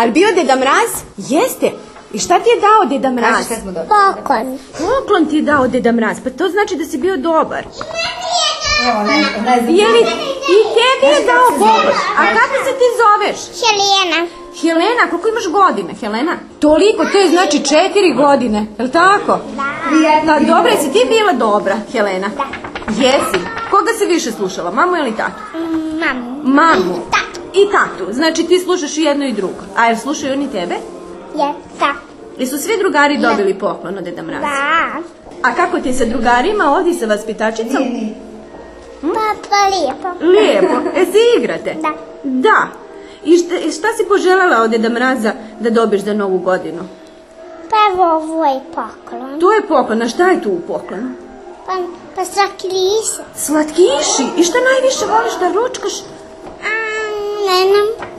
Ali bio Deda Mraz? Jeste. I šta ti je dao Deda Mraz? Poklon. Poklon ti je dao Deda Mraz, pa to znači da si bio dobar. I tebi je dao poklon. A kako se ti zoveš? Helena. Helena, koliko imaš godine, Helena? Toliko, to je znači 4 godine, je li tako? Da. Dobro, jesi ti bila dobra, Helena? Da. Jesi. Koga si više slušala, mamu ili tatu? Mamu. Mamu. Tatu. I tatu, znači ti slušaš i jedno i drugo. A jel slušaju oni tebe? Da. Jesu svi drugari dobili poklon od Deda Mraza? Da. A kako ti sa drugarima ovdje sa vaspitačicom? Pa lijepo. Lijepo. Se igrate? Da. Da. I šta si poželjela od Deda Mraza da dobiš za Novu godinu? Pa evo ovo je poklon. To je poklon, a šta je tu u poklonu? Pa slatkiši. Slatkiši? I šta najviše voliš da ručkaš? Ne znam.